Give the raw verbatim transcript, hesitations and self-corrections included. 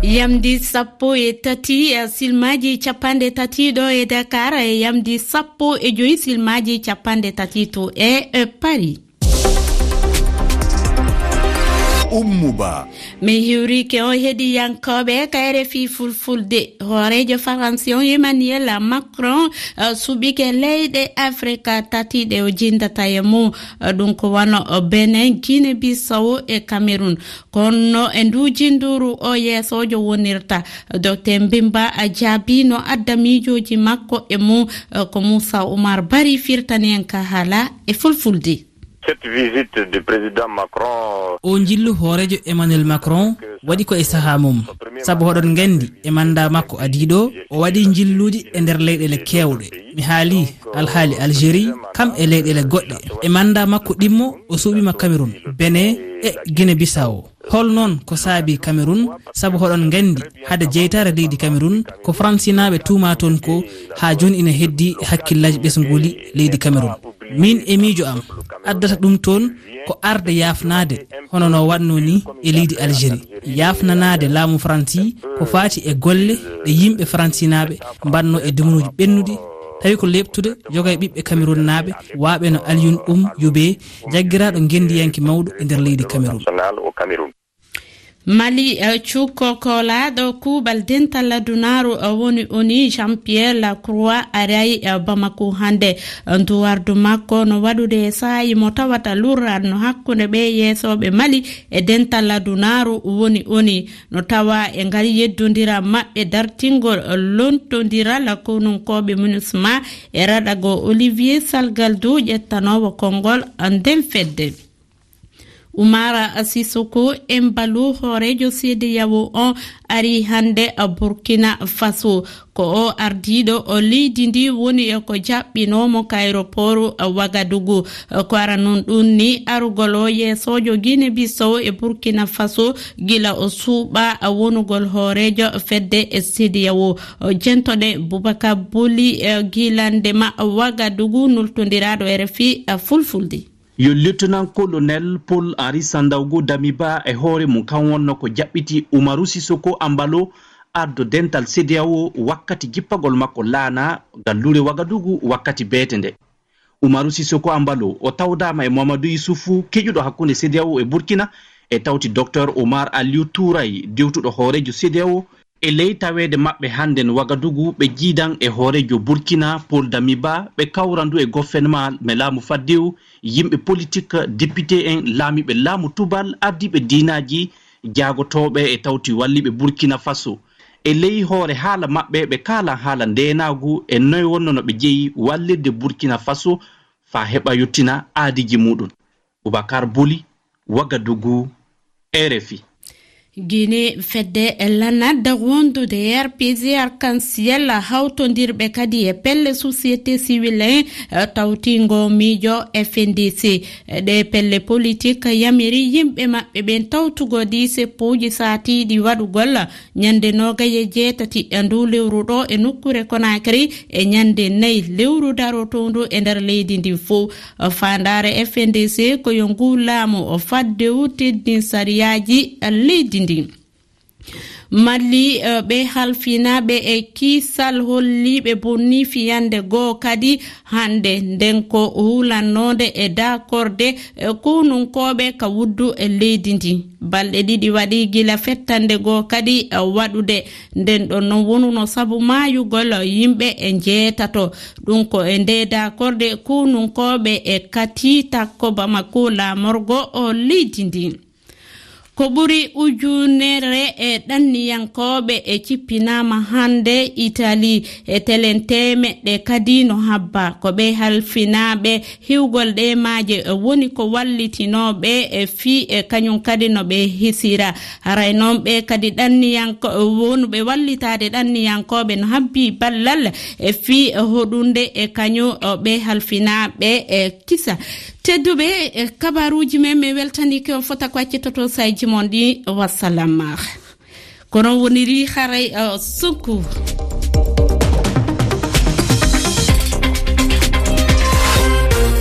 Yamdi sappo e tati, eh, silmaaji capanɗe tati ɗo e Dakar, e yamdi sappo e joyi silmaaji capanɗe tati to e, eh, Paris. Ummu Ba. Min hiwrike on heɗiyankooɓe ka R F I Fulfulde. Hooreejo Faransi on Emmanuel Macron, eh, suɓike leyɗe Afrika tati ɗe o jindata e mum, eh, ɗum ko wano, eh, Benin, Guinée Bissau e Cameroun. Kono e ndu jinduru o yeesoojo wonirta, Docteur Mbimba a jaabi no adda miijooji makko e mum, eh, ko Moussa Oumar Bari firtani en ka haala e Fulfulde. Cette visite du président Macron. O njillu hooreejo Emmanuel Macron waɗi ko e sahaa mum, sabu hoɗon nganndi e mannda makko adiiɗo, o waɗi njilluuji e nder leyɗeele keewɗe. Mi haali alhaali Algérie, kam e leyɗeele goɗɗe. E mannda makko ɗimmo, o suuɓima Cameroun, Benin e Guinée Bissau. Hol noon ko saabi Cameroun? Sabu hoɗon nganndi, hade jeytaare leydi Cameroun, ko Faransinaaɓe tuuma toon ko haa jooni ina heddi e hakkillaaji ɓesnguuli leydi Cameroun. Min e miijo am, addata ɗum toon ko arde yaafnaade, hono no waɗnoo ni e leydi Algérie. Yaafnanaade laamu Faransi ko faati e golle ɗe yimɓe Faransinaaɓe mbaɗnoo e dumunuuji ɓennuɗi, tawi ko leeɓtude yoga e ɓiɓɓe Cameroun naaɓe, waaɓe no Alioune Oum Youbé, jaggiraaɗo ngenndiyanke mawɗo e nder leydi Cameroun. Mali, eh, cukko koolaaɗo kuuɓal dental adunaaru, eh, woni ONU, Jean-Pierre Lacroix, aray, eh, Bamako hannde. Eh, nduwardu makko no waɗude e saa'i mo tawata lurral no hakkunde ɓe yeesooɓe Mali e dental adunaaru woni ONU. No tawa e ngal yeddondiral maɓɓe dartingol, eh, lontondiral konunkooɓe MINUSMA e raɗago Olivier Salgaldo ƴettanoowo konngol, eh, nden fedde. Umara Sissoco Embaló, hooreejo CEDEAO on, ari hannde Burkina Faso. Ko o ardiiɗo o leydi ndi woni e ko jaɓɓinoo mo ka aéroport Ouagadougou. Ko ara noon ɗum ni arugol o yeesoojo Guinée Bissau e Burkina Faso gila o suuɓa wonugol hooreejo fedde e CEDEAO. Jentoɗe Boubacar Boli, eh, gilande ma Ouagadougou, nultondiraaɗo R F I, eh, Fulfulde. Yo Lieutenant-colonel Paul Henri Sandaogo Damiba e hoore mum kan wonno ko jaɓɓiti Umaru Sissoco Embalo ardo dental CEDEAO wakkati jippagol makko laana gallure Wagadugu wakkati beete nde. Umaru Sissoco Embalo o tawdaama e Mamadou Issoufou, keƴuɗo hakkunde CEDEAO e Burkina, e tawti Docteur Omar Aliou Touray, dewtuɗo hooreejo CEDEAO. E ley taweede maɓɓe hannden Wagadugu, ɓe jiidan e hooreejo Burkina, Paul Damiba, ɓe kawra ndu e gofenema me laamu faddewu, yimɓe politik, depite en, laamiiɓe laamu tubal, ardiiɓe diinaaji, jaagotooɓe e tawti walliiɓe Burkina Faso. E ley hoore haala maɓɓe, ɓe kaalan haala ndeenaagu e noy wonno no ɓe jeyi wallirde Burkina Faso faa heɓa yottina aadiiji muuɗum. Boubacar Boli, Wagadugu, R F I. Guinée, fedde lanadda wondude R P G Arc-en-Ciel, hawtondirɓe kadi e pelle société civile en, eh, tawtingo miijo F N D C. Ɗe pelle politik yamiri yimɓe maɓɓe ɓen tawtugo ɗi seppuuji saatiiɗi waɗugol ñande noogay e jeetati e ndu lewru ɗo e nokkure Conakry, e ñande nayi lewru darotoondu e nder leydi ndin fow. Faandaare F N D C ko yo ngu laamu o faddewu teddin sariyaaji leydi ndin. Mali, eh, ɓe halfinaaɓe e kiisal holliiɓe bonni fiyande goo kadi hannde, nden ko hulannoonde e daakorde, eh, konunkooɓe ka wuddu e leydi ndin. Balɗe ɗiɗi waɗi gila fettande goo kadi, eh, waɗude. Nden ɗon non wonuno sabu maayugol yimɓe e njeetato. Ɗum ko e nde daakorde konunkooɓe e Kati takko Bamako laamorgo o leydi ndin. Ko ɓuri ujunere e ɗanniyankooɓe e cippinaama hannde Itali, e telen teemeɗɗe kadi no habba. Ko ɓe halfinaaɓe hiwgol ɗe maaje woni ko wallitinooɓe e fii e kañum kadi no ɓe hisira. Haray noon ɓe kadi ɗanniyanko-, wonuɓe wallitaade ɗanniyankooɓe no habbi ballal e fii hoɗunde e kañum ɓe halfinaaɓe e kisa. Tedduɓe, e kabaruuji men, mi weltaniike on fota ko accitoto sayji mon ɗi. Wassalam. Kono woniri haray, eh, sukku.